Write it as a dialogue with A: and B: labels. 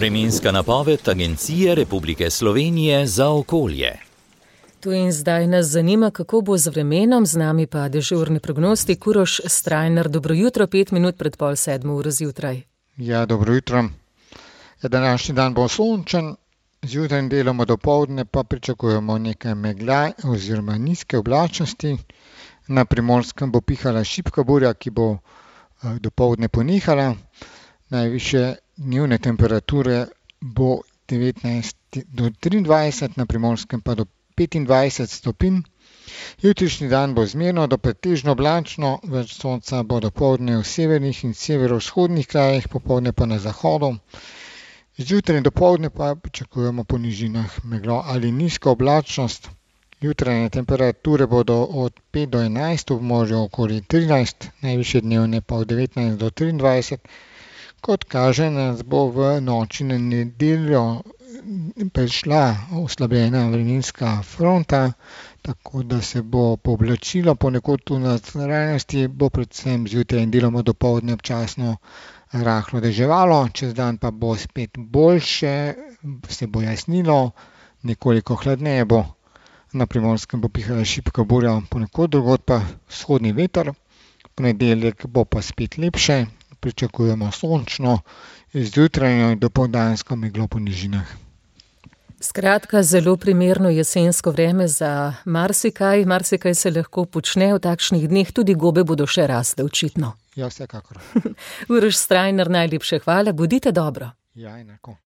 A: Vremenska napoved Agencije Republike Slovenije za okolje.
B: Tu in zdaj nas zanima, kako bo z vremenom, z nami pa dežurni prognostik Uroš Strajnar. Dobro jutro, 5 minut pred 6:30 zjutraj.
C: Ja, dobro jutro. Današnji dan bo sončen, zjutraj in deloma dopoldne pa pričakujemo nekaj megla oziroma nizke oblačnosti. Na Primorskem bo pihala šibka burja, ki bo dopoldne ponehala. Najvišje dnevne temperature bo 19 do 23, na Primorskem pa do 25 stopinj. Jutrišnji dan bo zmerno do pretežno oblačno, več sonca bo dopoldne v severnih in severovzhodnih krajih, popoldne pa na zahodu. Zjutraj in dopoldne pa pričakujemo po nižinah meglo ali nizko oblačnost. Jutranje temperature bodo od 5 do 11, v morju okoli 13, najvišje dnevne pa od 19 do 23. Kot kaže, nas bo v noči na nedeljo prišla oslabljena vremenska fronta, tako da se bo pooblačilo ponekod v notranjosti, bo predvsem zjutraj in deloma dopoldne občasno rahlo deževalo, čez dan pa bo spet boljše, se bo jasnilo, nekoliko hladneje bo. Na Primorskem bo pihala šibka burja, ponekod drugod pa vzhodni veter. Ponedeljek bo pa spet lepše, pričakujemo sončno, zjutrajno in dopoldansko meglo po nižinah.
B: Skratka, zelo primerno jesensko vreme za marsikaj se lahko počne v takšnih dneh, tudi gobe bodo še rasle očitno.
C: Ja, vsekakor.
B: Uroš Strajnar, najlepše hvala, bodite dobro.
C: Ja, enako.